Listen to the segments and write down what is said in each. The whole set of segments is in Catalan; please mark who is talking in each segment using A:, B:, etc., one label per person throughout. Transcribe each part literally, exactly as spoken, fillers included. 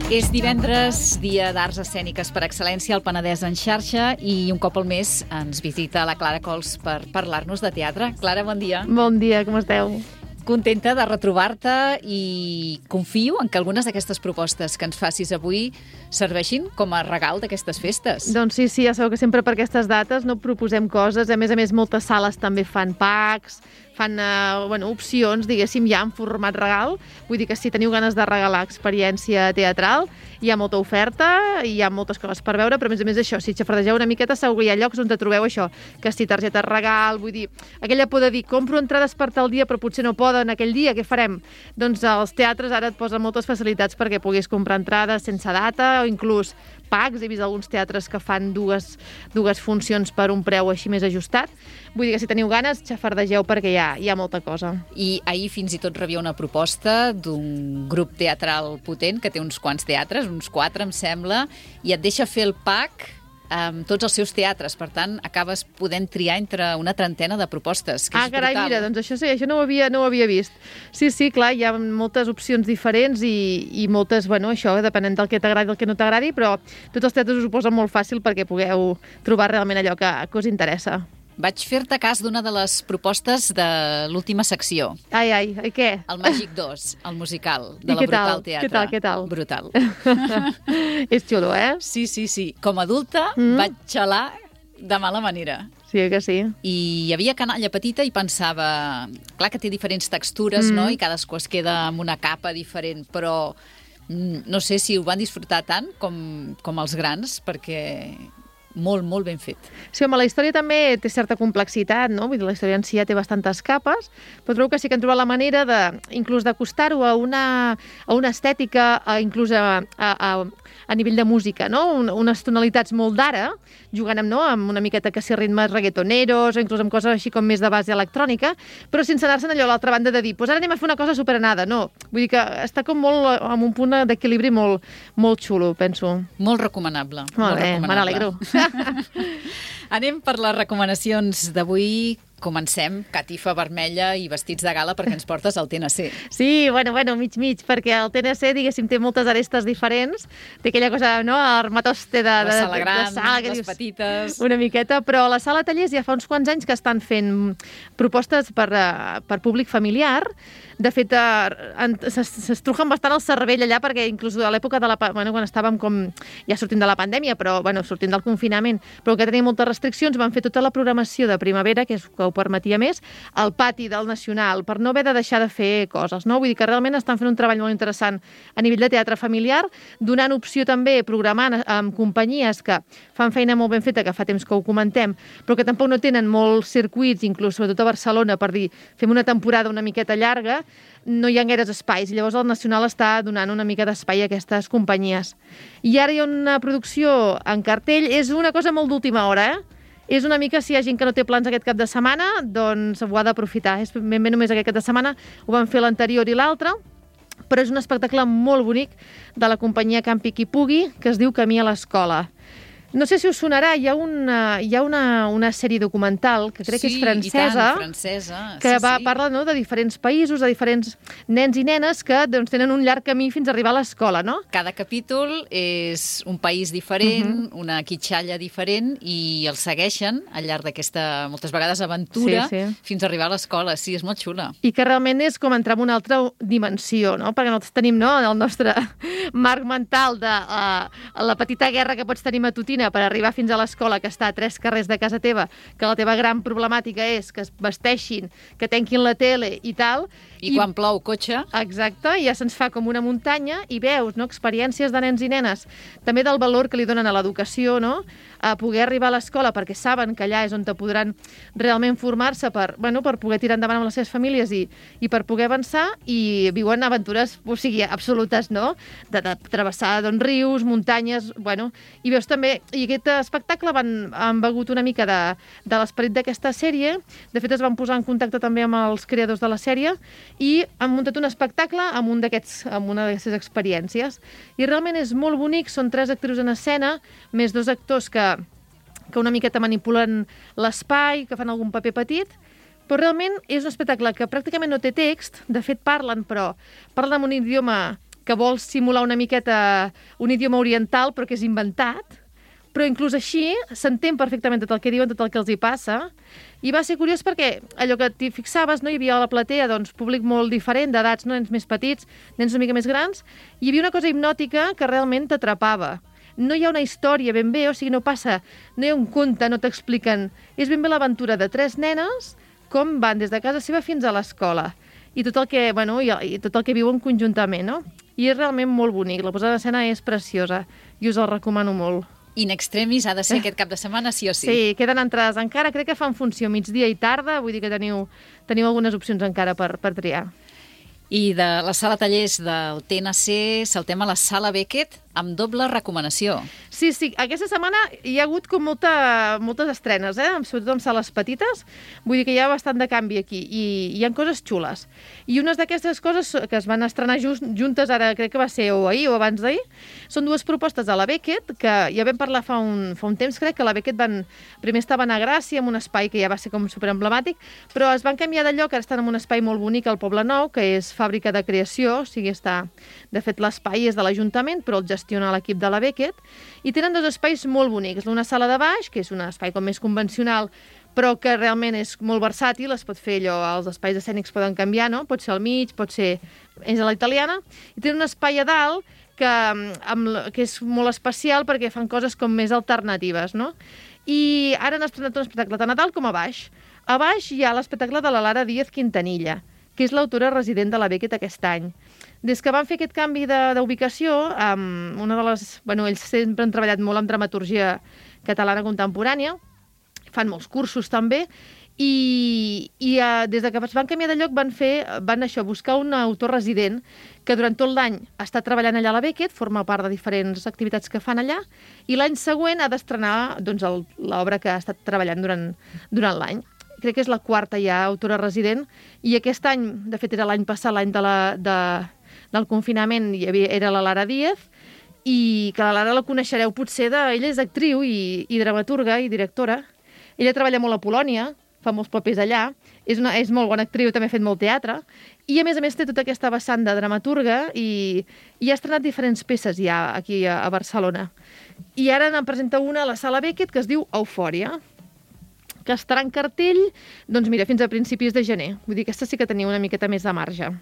A: És divendres, dia d'arts escèniques per excel·lència al Penedès en xarxa, i un cop al mes ens visita la Clara Cols per parlar-nos de teatre. Clara, bon dia.
B: Bon dia, com esteu?
A: Contenta de retrobar-te i confio en que algunes d'aquestes propostes que ens facis avui serveixin com a regal d'aquestes festes.
B: Doncs sí, sí, ja sabeu que sempre per aquestes dates no proposem coses. A més a més, moltes sales també fan packs, fan uh, bueno, opcions, diguéssim, ja en format regal. Vull dir que si teniu ganes de regalar experiència teatral, hi ha molta oferta, hi ha moltes coses per veure, però a més a més això, si xafardegeu una miqueta, segur que hi ha llocs on te trobeu això, que si targeta regal, vull dir, aquella por de dir, compro entrades per tal dia, però potser no poden aquell dia, què farem? Doncs els teatres ara et posen moltes facilitats perquè puguis comprar entrades sense data, o inclús packs. He vist alguns teatres que fan dues, dues funcions per un preu així més ajustat. Vull dir que si teniu ganes, xafardegeu perquè hi ha, hi ha molta cosa.
A: I ahir fins i tot rebia una proposta d'un grup teatral potent que té uns quants teatres, uns quatre em sembla, i et deixa fer el pack amb tots els seus teatres. Per tant, acabes podent triar entre una trentena de propostes, que
B: ah,
A: és
B: carai,
A: brutal.
B: Mira, doncs això sí, això no ho havia, no ho havia vist. Sí, sí, clar, hi ha moltes opcions diferents i, i moltes, bueno, això, depenent del que t'agradi i del que no t'agradi, però tots els teatres us ho posen molt fàcil perquè pugueu trobar realment allò que, que us interessa.
A: Vaig fer-te cas d'una de les propostes de l'última secció.
B: Ai, ai, ai, què?
A: El Màgic dos, el musical de
B: I
A: la
B: què
A: Brutal
B: tal?
A: Teatre.
B: Què tal, què tal?
A: Brutal.
B: És xulo, eh?
A: Sí, sí, sí. Com a adulta mm. vaig xalar de mala manera.
B: Sí, que sí.
A: I hi havia canalla petita i pensava... Clar que té diferents textures, mm. no? I cadascú es queda amb una capa diferent, però no sé si ho van disfrutar tant com, com els grans, perquè... molt, molt ben fet.
B: Sí, home, la història també té certa complexitat, no? Vull dir, la història en si ja té bastantes capes, però trobo que sí que han trobat la manera de, inclús d'acostar-ho a una, a una estètica, a, inclús a, a, a, a nivell de música, no? Un, unes tonalitats molt d'ara, jugant amb, no? amb una miqueta que si ritmes reggaetoneros, o inclús amb coses així com més de base electrònica, però sense anar-se'n allò a l'altra banda de dir, pues ara anem a fer una cosa superanada. No, vull dir que està com molt amb un punt d'equilibri molt, molt xulo, penso.
A: Molt recomanable.
B: Molt, molt bé, me n'alegro.
A: Anem per les recomanacions d'avui. Comencem, catifa vermella i vestits de gala perquè ens portes al T N C.
B: Sí, bueno, bueno, mig-mig, perquè el T N C, diguéssim, té moltes arestes diferents. Té aquella cosa, no?, armatoste de, de,
A: la sala gran,
B: de sala,
A: les
B: dius,
A: petites...
B: Una miqueta, però la sala tallers ja fa uns quants anys que estan fent propostes per, per públic familiar. De fet, s'estrujen bastant el cervell allà, perquè inclús a l'època de la... Bueno, quan estàvem com ja sortint de la pandèmia, però, bueno, sortint del confinament, però que tenia moltes restriccions, van fer tota la programació de primavera, que és que ho permetia més, al pati del Nacional, per no haver de deixar de fer coses, no? Vull dir que realment estan fent un treball molt interessant a nivell de teatre familiar, donant opció també, programant amb companyies que fan feina molt ben feta, que fa temps que ho comentem, però que tampoc no tenen molts circuits, inclús sobretot a Barcelona, per dir, fem una temporada una miqueta llarga, no hi ha gaires espais, i llavors el Nacional està donant una mica d'espai a aquestes companyies. I ara hi ha una producció en cartell, és una cosa molt d'última hora, eh? És una mica, si hi ha gent que no té plans aquest cap de setmana, doncs ho ha d'aprofitar. És ben bé només aquest cap de setmana, ho van fer l'anterior i l'altre, però és un espectacle molt bonic de la companyia Campi qui pugui, que es diu Camí a l'escola. No sé si us sonarà, hi ha una, hi ha una, una sèrie documental que crec
A: sí,
B: que és francesa,
A: i tant, francesa.
B: que
A: sí,
B: va,
A: sí.
B: parla, no?, de diferents països, de diferents nens i nenes que doncs, tenen un llarg camí fins a arribar a l'escola, no?
A: Cada capítol és un país diferent, uh -huh. una quitxalla diferent, i els segueixen al llarg d'aquesta, moltes vegades, aventura,
B: sí, sí.
A: fins a arribar a l'escola. Sí, és molt xula.
B: I que realment és com entrar en una altra dimensió, no? Perquè nosaltres tenim, no?, el nostre marc mental de uh, la petita guerra que pots tenir matutina per arribar fins a l'escola, que està a tres carrers de casa teva, que la teva gran problemàtica és que es vesteixin, que tanquin la tele i tal.
A: I, I quan plou, cotxe.
B: Exacte, i ja se'ns fa com una muntanya i veus, no?, experiències de nens i nenes, també del valor que li donen a l'educació, no?, a poder arribar a l'escola perquè saben que allà és on te podran realment formar-se per, bueno, per poder tirar endavant amb les seves famílies i, i per poder avançar, i viuen aventures, o sigui, absolutes, no?, de, de travessar doncs, rius, muntanyes, bueno, i veus també, i aquest espectacle van, han begut una mica de, de l'esperit d'aquesta sèrie. De fet, es van posar en contacte també amb els creadors de la sèrie i han muntat un espectacle amb, un amb una d'aquestes experiències. I realment és molt bonic, són tres actrius en escena, més dos actors que, que una miqueta manipulen l'espai, que fan algun paper petit, però realment és un espectacle que pràcticament no té text, de fet parlen, però parlen en un idioma que vol simular una miqueta un idioma oriental, però que és inventat, però inclús així s'entén perfectament tot el que diuen, tot el que els hi passa, i va ser curiós perquè allò que t'hi fixaves, no? Hi havia a la platea doncs, públic molt diferent, d'edats, no? Nens més petits, nens una mica més grans, i hi havia una cosa hipnòtica que realment t'atrapava. No hi ha una història ben bé, o sigui, no passa, no hi ha un conte, no t'expliquen. És ben bé l'aventura de tres nenes, com van des de casa seva fins a l'escola, i tot el que, bueno, i, i tot el que viuen conjuntament, no? I és realment molt bonic, la posada d'escena és preciosa, i us el recomano molt.
A: In extremis ha de ser aquest cap de setmana, sí o sí.
B: Sí, queden entrades encara, crec que fan funció migdia i tarda, vull dir que teniu, teniu algunes opcions encara per, per triar.
A: I de la sala tallers del T N C saltem a la sala Beckett amb doble recomanació.
B: Sí, sí, aquesta setmana hi ha hagut com molta, moltes estrenes, eh? Sobretot amb sales petites, vull dir que hi ha bastant de canvi aquí, i hi ha coses xules. I unes d'aquestes coses que es van estrenar just, juntes, ara crec que va ser o ahir o abans d'ahir, són dues propostes a la Beckett, que ja vam parlar fa un, fa un temps, crec, que la Beckett van, primer estaven a Gràcia, en un espai que ja va ser com superemblemàtic, però es van canviar de lloc, ara estan en un espai molt bonic al Poble Nou, que és fàbrica de creació, o sigui, està, de fet l'espai és de l'Ajuntament, però el gestiona l'equip de la Beckett, i tenen dos espais molt bonics. Una sala de baix, que és un espai com més convencional, però que realment és molt versàtil, es pot fer allò, els espais escènics poden canviar, no? Pot ser al mig, pot ser és a la italiana, i tenen un espai a dalt que, amb, que és molt especial perquè fan coses com més alternatives, no? I ara han estrenat un espectacle tant a dalt com a baix. A baix hi ha l'espectacle de la Lara Díaz Quintanilla, que és l'autora resident de la Beckett aquest any. Des que van fer aquest canvi d'ubicació, um, una de les... Bueno, ells sempre han treballat molt amb dramaturgia catalana contemporània, fan molts cursos també, i, i uh, des de que es van canviar de lloc van fer, van això, buscar un autor resident que durant tot l'any està treballant allà a la Beckett, forma part de diferents activitats que fan allà, i l'any següent ha d'estrenar doncs, l'obra que ha estat treballant durant, durant l'any. Crec que és la quarta ja autora resident, i aquest any, de fet era l'any passat, l'any de la, de, del confinament, hi havia, era la Lara Díaz, i que la Lara la coneixereu potser, de, ella és actriu i, i dramaturga i directora. Ella treballa molt a Polònia, fa molts papers allà, és, una, és molt bona actriu, també ha fet molt teatre, i a més a més té tota aquesta vessant de dramaturga i, i ha estrenat diferents peces ja aquí a, a Barcelona. I ara en presenta una a la Sala Beckett que es diu Eufòria, que estarà en cartell, doncs mira, fins a principis de gener. Vull dir, aquesta sí que tenia una miqueta més de marge.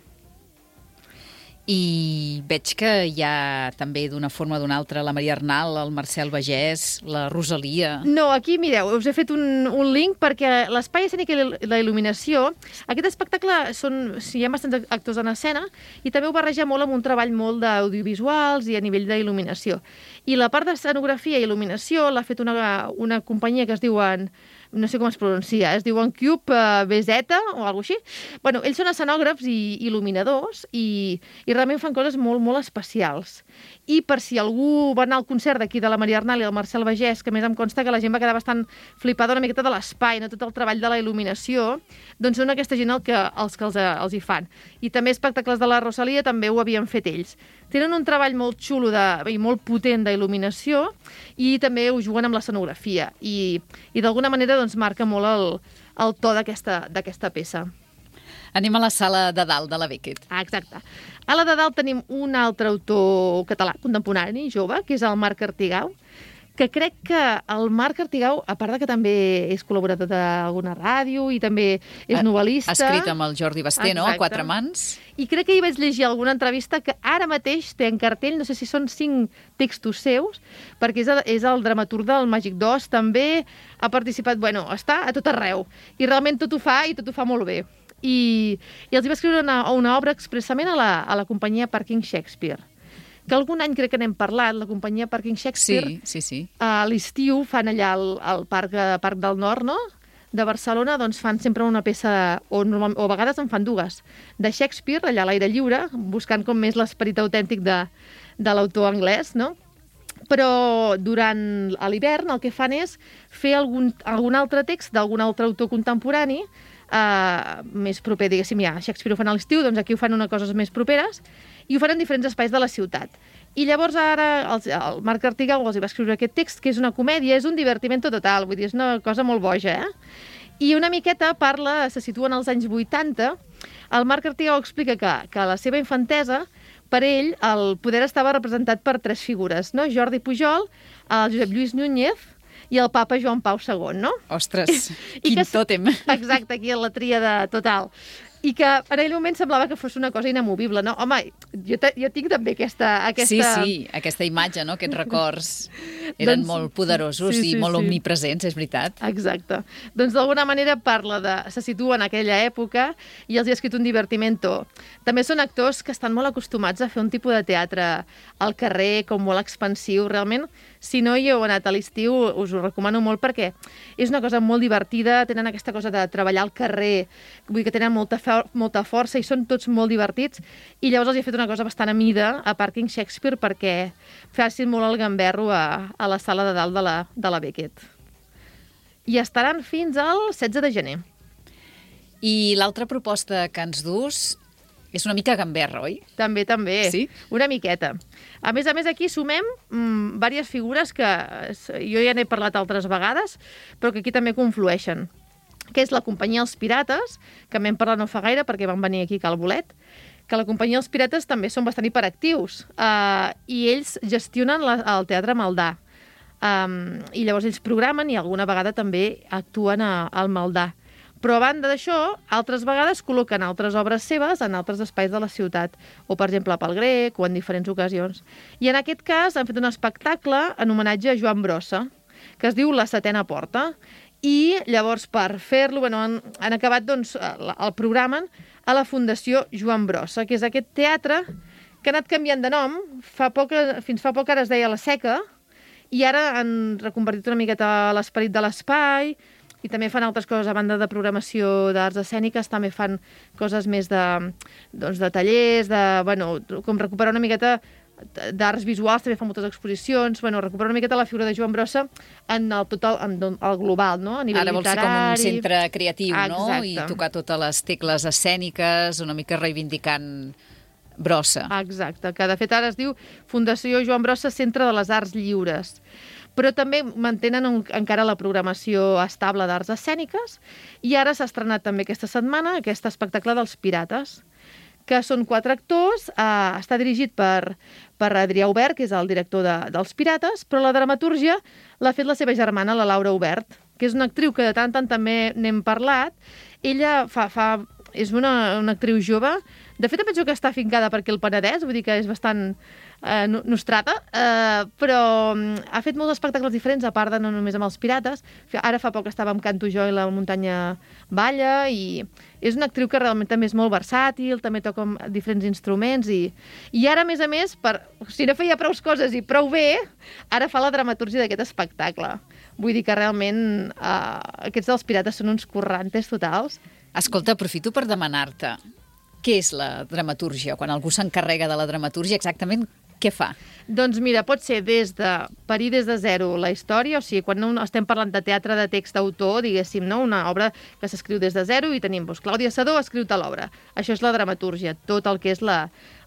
A: I veig que hi ha també d'una forma o d'una altra la Maria Arnal, el Marcel Bagès, la Rosalia...
B: No, aquí, mireu, us he fet un, un link perquè l'espai escènic i la il·luminació, aquest espectacle són, sí, hi ha bastants actors en escena i també ho barreja molt amb un treball molt d'audiovisuals i a nivell d'il·luminació. I la part d'escenografia i il·luminació l'ha fet una, una companyia que es diuen... no sé com es pronuncia, es diuen Cube uh, B Z o alguna cosa així. Bueno, ells són escenògrafs i il·luminadors i, i realment fan coses molt, molt especials. I per si algú va anar al concert d'aquí de la Maria Arnal i el Marcel Bagès, que més em consta que la gent va quedar bastant flipada una miqueta de l'espai, no tot el treball de la il·luminació, doncs són aquesta gent el que, els que els, els hi fan. I també espectacles de la Rosalia també ho havien fet ells. Tenen un treball molt xulo de, i molt potent d'il·luminació i també ho juguen amb l'escenografia i, i d'alguna manera doncs, marca molt el, el to d'aquesta peça.
A: Anem a la sala de dalt de la Beckett.
B: Ah, exacte. A la de dalt tenim un altre autor català contemporani, jove, que és el Marc Artigau, que crec que el Marc Artigau, a part de que també és col·laborador d'alguna ràdio i també és novel·lista...
A: Ha escrit amb el Jordi Basté, no?, a Quatre Mans.
B: I crec que hi vaig llegir alguna entrevista que ara mateix té en cartell, no sé si són cinc textos seus, perquè és el, és el dramaturg del Màgic d'Oz, també ha participat, bueno, està a tot arreu. I realment tot ho fa i tot ho fa molt bé. I, i els hi va escriure una, una obra expressament a la, a la companyia Parking Shakespeare, que algun any crec que n'hem parlat, la companyia Parking Shakespeare.
A: Sí, sí, sí.
B: A l'estiu fan allà al, al Parc, Parc del Nord, no?, de Barcelona, doncs fan sempre una peça, o, normal, o a vegades en fan dues, de Shakespeare, allà a l'aire lliure, buscant com més l'esperit autèntic de, de l'autor anglès, no? Però durant l'hivern el que fan és fer algun, algun altre text d'algun altre autor contemporani, eh, més proper, diguéssim, ja, Shakespeare ho fan a l'estiu, doncs aquí ho fan unes coses més properes, i ho fan en diferents espais de la ciutat. I llavors ara el, el Marc Artigau els hi va escriure aquest text, que és una comèdia, és un divertimento total, vull dir, és una cosa molt boja, eh? I una miqueta parla, se situa en els anys vuitanta, el Marc Artigau explica que, que a la seva infantesa per ell el poder estava representat per tres figures, no? Jordi Pujol, el Josep Lluís Núñez i el papa Joan Pau segon, no?
A: Ostres,
B: I
A: quin
B: que,
A: tòtem.
B: Exacte, aquí a la tríada total. I que en aquell moment semblava que fos una cosa inamovible, no? Home, jo, te, jo tinc també aquesta... aquesta...
A: Sí, sí, aquesta imatge, no? Aquests records eren doncs, molt poderosos sí, sí, i molt sí. omnipresents, és veritat.
B: Exacte. Doncs d'alguna manera parla de... se situa en aquella època i els hi ha escrit un divertimento. També són actors que estan molt acostumats a fer un tipus de teatre al carrer, com molt expansiu. Realment, si no hi heu anat a l'estiu, us ho recomano molt perquè és una cosa molt divertida, tenen aquesta cosa de treballar al carrer, vull dir que tenen molta fe molta força i són tots molt divertits, i llavors els he fet una cosa bastant a mida a Parking Shakespeare perquè facin molt el gamberro a, a la sala de dalt de la, de la Beckett. I estaran fins al setze de gener.
A: I l'altra proposta que ens dus és una mica gamberra, oi?
B: També, també.
A: Sí?
B: Una miqueta. A més a més, aquí sumem mmm, diverses figures que jo ja n'he parlat altres vegades, però que aquí també conflueixen, que és la companyia Els Pirates, que m'hem parlat no fa gaire perquè van venir aquí a Cal Bolet, que la companyia Els Pirates també són bastant hiperactius uh, i ells gestionen la, el Teatre Maldà. Um, I llavors ells programen i alguna vegada també actuen a, al Maldà. Però a banda d'això, altres vegades col·loquen altres obres seves en altres espais de la ciutat, o per exemple a Pel Grec o en diferents ocasions. I en aquest cas han fet un espectacle en homenatge a Joan Brossa, que es diu La Setena Porta. I llavors, per fer-lo, bueno, han, han acabat doncs, el, el programen a la Fundació Joan Brossa, que és aquest teatre que ha anat canviant de nom. Fa poc, fins fa poc ara es deia La Seca, i ara han reconvertit una miqueta l'esperit de l'espai, i també fan altres coses a banda de programació d'arts escèniques, també fan coses més de, doncs, de tallers, de, bueno, com recuperar una miqueta d'arts visuals, també fa moltes exposicions, bueno, recuperar una miqueta la figura de Joan Brossa en el total, en el global, no? A nivell
A: Ara vols
B: literari.
A: ser com un centre creatiu,
B: Exacte.
A: No? I tocar totes les tecles escèniques, una mica reivindicant Brossa.
B: Exacte, que de fet ara es diu Fundació Joan Brossa, Centre de les Arts Lliures. Però també mantenen un, encara la programació estable d'arts escèniques, i ara s'ha estrenat també aquesta setmana aquest espectacle dels Pirates, que són quatre actors, eh, està dirigit per, per Adrià Obert, que és el director de, dels Pirates, però la dramatúrgia l'ha fet la seva germana, la Laura Obert, que és una actriu que de tant en tant també n'hem parlat. Ella fa, fa, és una, una actriu jove, de fet penso que està afincada per aquí al Penedès, vull dir que és bastant eh, nostrata, eh, però ha fet molts espectacles diferents, a part de no només amb els Pirates. Ara fa poc estava amb Canto Jo i la muntanya balla, i és una actriu que realment també és molt versàtil, també toca diferents instruments, i, i ara, a més a més, per, si no feia prou coses i prou bé, ara fa la dramatúrgia d'aquest espectacle. Vull dir que realment eh, aquests dels Pirates són uns currantes totals.
A: Escolta, aprofito per demanar-te, què és la dramatúrgia? Quan algú s'encarrega de la dramatúrgia, exactament què fa?
B: Doncs mira, pot ser des de parir des de zero la història, o sigui, quan no estem parlant de teatre de text d'autor, diguéssim, no? Una obra que s'escriu des de zero i tenim, doncs, Clàudia Sedó ha escrit tal obra. Això és la dramatúrgia, tot el que és la,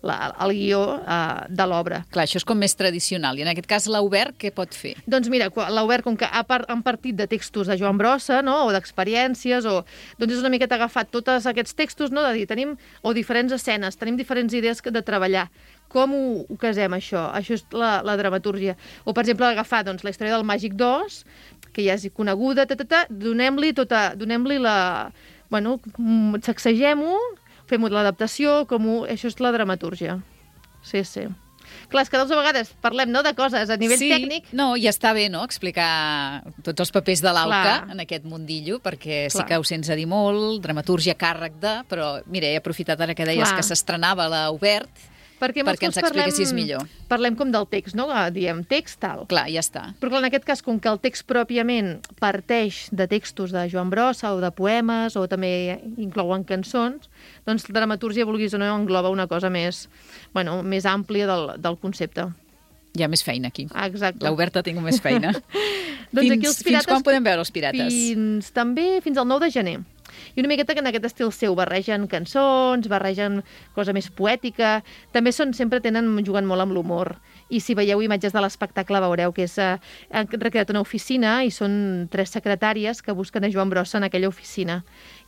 B: la, el guió uh, de l'obra.
A: Clar, això és com més tradicional. I en aquest cas, l'Obert, què pot fer?
B: Doncs mira, l'Obert, com que ha part, han partit de textos de Joan Brossa, no? O d'experiències, o doncs és una miqueta agafat tots aquests textos, no? De dir, tenim o diferents escenes, tenim diferents idees de treballar. Com ho, ho casem, això? Això és la, la dramatúrgia. O, per exemple, agafar doncs, la història del Màgic dos, que ja és coneguda, ta, ta, ta, donem-li tota, donem-li la... Bueno, sacsegem-ho, fem-ho l'adaptació, com ho... Això és la dramatúrgia. Sí, sí. Clar, és que de vegades parlem, no?, de coses a nivell
A: sí,
B: tècnic.
A: No, i està bé, no?, explicar tots els papers de l'Auca en aquest mundillo, perquè
B: Clar.
A: Sí que ho sents a dir molt, dramatúrgia càrrec de, però, mira, he aprofitat ara que deies
B: Clar.
A: Que s'estrenava l'Obert,
B: perquè,
A: perquè ens expliquessis millor.
B: Parlem com del text, no? Diem text, tal.
A: Clar, ja està.
B: Però clar, en aquest cas, com que el text pròpiament parteix de textos de Joan Brossa o de poemes, o també inclouen cançons, doncs la dramatúrgia, vulguis o no, engloba una cosa més, bueno, més àmplia del, del concepte.
A: Hi ha més feina aquí.
B: Exacte.
A: L'Oberta tinc més feina.
B: Doncs
A: fins,
B: aquí els pirates,
A: fins quan podem veure els Pirates?
B: Fins, també fins al nou de gener. I una miqueta que en aquest estil seu barregen cançons, barregen cosa més poètica, també són, sempre tenen, juguen molt amb l'humor. I si veieu imatges de l'espectacle veureu que és, eh, han recreat una oficina i són tres secretàries que busquen a Joan Brossa en aquella oficina.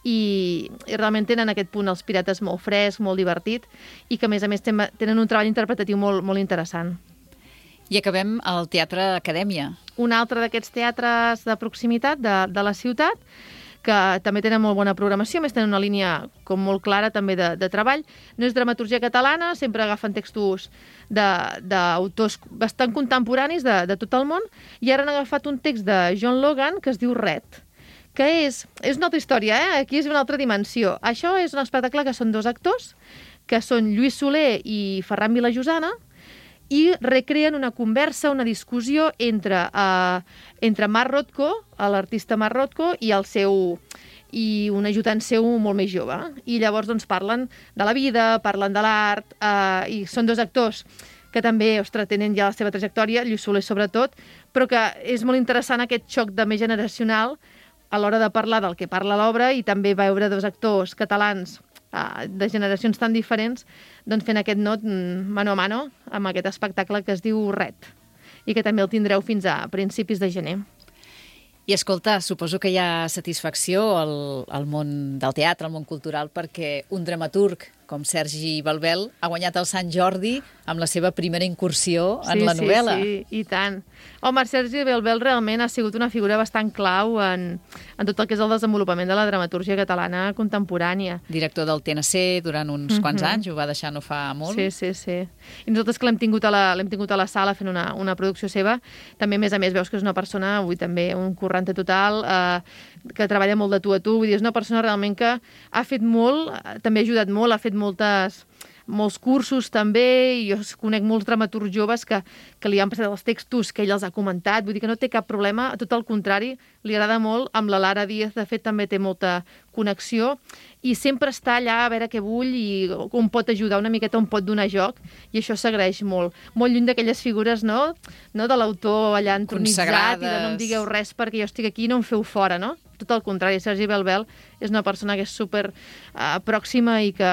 B: I, i realment tenen aquest punt els pirates molt fresc, molt divertit i que a més a més tenen un treball interpretatiu molt, molt interessant.
A: I acabem al Teatre Acadèmia.
B: Un altre d'aquests teatres de proximitat de, de la ciutat, que també tenen molt bona programació, més tenen una línia com molt clara també de, de treball. No és dramaturgia catalana, sempre agafen textos d'autors bastant contemporanis de, de tot el món, i ara han agafat un text de John Logan que es diu Red, que és, és una altra història, eh? Aquí és una altra dimensió. Això és un espectacle que són dos actors, que són Lluís Soler i Ferran Vilajosana, i recreen una conversa, una discussió entre, uh, entre Marc Rothko, l'artista Marc Rothko, i el seu i un ajudant seu molt més jove. I llavors doncs, parlen de la vida, parlen de l'art, uh, i són dos actors que també, ostres, tenen ja la seva trajectòria, Lluís Soler sobretot, però que és molt interessant aquest xoc de més generacional a l'hora de parlar del que parla l'obra i també veure dos actors catalans de generacions tan diferents doncs fent aquest not mano a mano amb aquest espectacle que es diu Red i que també el tindreu fins a principis de gener.
A: I escolta, suposo que hi ha satisfacció al, al món del teatre, al món cultural, perquè un dramaturg com Sergi Balbel ha guanyat el Sant Jordi amb la seva primera incursió en
B: sí,
A: la novel·la.
B: Sí, sí, i tant. Home, Sergi Balbel realment ha sigut una figura bastant clau en, en tot el que és el desenvolupament de la dramatúrgia catalana contemporània.
A: Director del T N C durant uns uh-huh. quants anys, ho va deixar no fa molt.
B: Sí, sí, sí. I nosaltres que l'hem tingut, a la, l'hem tingut a la sala fent una, una producció seva, també a més a més veus que és una persona, avui també un corrente total, eh, que treballa molt de tu a tu, vull dir, és una persona realment que ha fet molt, també ha ajudat molt, ha fet moltes, molts cursos també, i jo conec molts dramaturgs joves que, que li han passat els textos que ell els ha comentat, vull dir que no té cap problema, tot el contrari, li agrada molt, amb la Lara Díaz, de fet, també té molta connexió, i sempre està allà a veure què vull i on pot ajudar una miqueta, on pot donar joc, i això s'agraeix molt. Molt lluny d'aquelles figures, no?, no de l'autor allà entronitzat i de no em digueu res perquè jo estic aquí i no em feu fora, no? Tot el contrari, Sergi Balbel és una persona que és super uh, pròxima i que,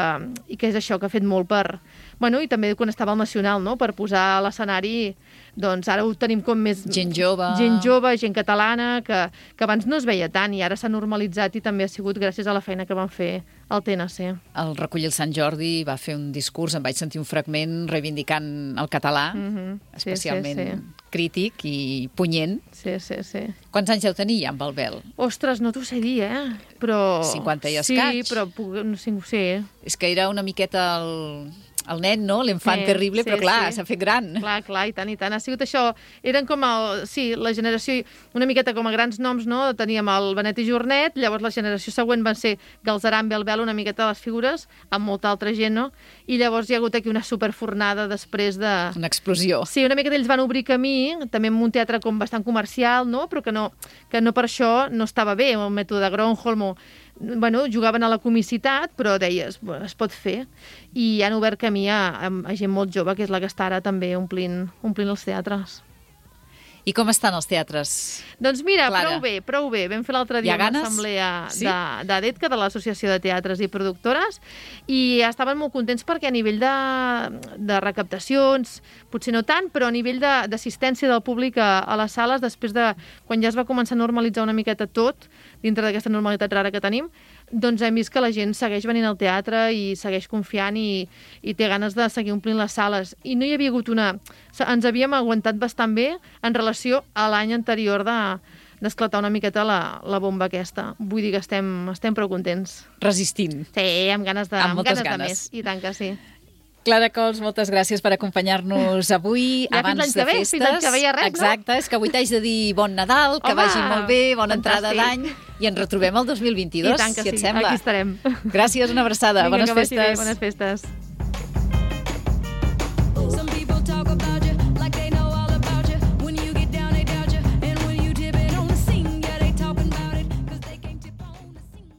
B: i que és això, que ha fet molt per... Bueno, i també quan estava al Nacional, no?, per posar a l'escenari, doncs ara ho tenim com més...
A: Gent jove.
B: Gent jove, gent catalana, que, que abans no es veia tant i ara s'ha normalitzat i també ha sigut gràcies a la feina que van fer al T N C.
A: Al recollir el Sant Jordi va fer un discurs, em vaig sentir un fragment reivindicant el català, mm-hmm. sí, especialment sí, sí. crític i punyent.
B: Sí, sí, sí.
A: Quants anys deu tenir ja, amb Balbel?
B: Ostres, no t'ho sé dir, eh? Però...
A: cinquanta i escaig.
B: Sí, però puc... sí, sí.
A: És que era una miqueta el... el nen, no? L'enfant sí, terrible, sí, però clar, s'ha sí. fet gran.
B: Clar, clar, i tant, i tant. Ha sigut això. Eren com el... Sí, la generació... Una miqueta com a grans noms, no? Teníem el Benet i Jornet, llavors la generació següent van ser Galzeran, Belbel, una miqueta les figures, amb molta altra gent, no? I llavors hi ha hagut aquí una superfornada després de...
A: Una explosió.
B: Sí, una miqueta ells van obrir camí, també amb un teatre com bastant comercial, no? Però que no, que no per això no estava bé, el mètode de Gronholm o... Bueno, jugaven a la comicitat, però deies, es pot fer. I han obert camí a, a gent molt jove, que és la que està ara també omplint, omplint els teatres.
A: I com estan els teatres?
B: Doncs mira,
A: Clara.
B: prou bé, prou bé. Vam fer l'altre dia una assemblea sí? d'ADETCA, de l'Associació de Teatres i Productores, i estaven molt contents perquè a nivell de, de recaptacions, potser no tant, però a nivell d'assistència de, del públic a, a les sales, després de quan ja es va començar a normalitzar una miqueta tot, dintre d'aquesta normalitat rara que tenim, doncs hem vist que la gent segueix venint al teatre i segueix confiant i, i té ganes de seguir omplint les sales. I no hi havia hagut una... Ens havíem aguantat bastant bé en relació a l'any anterior de d'esclatar una miqueta la, la bomba aquesta. Vull dir que estem, estem prou contents.
A: Resistint.
B: Sí, amb ganes de,
A: amb
B: amb ganes,
A: ganes
B: de més. I tant que sí.
A: Clara Cols, moltes gràcies per acompanyar-nos avui,
B: ja
A: abans de
B: ve,
A: festes.
B: Fins l'any que ve ja res,
A: exacte,
B: no?
A: És que avui t'haig de dir bon Nadal, que
B: Home,
A: vagi molt bé, bona
B: fantàstic.
A: entrada d'any, i ens retrobem el dos mil vint-i-dos,
B: I tant que
A: si et
B: sí,
A: sembla.
B: aquí estarem.
A: Gràcies, una abraçada,
B: Vinga,
A: bones
B: que vagi
A: festes.
B: bé, bones festes.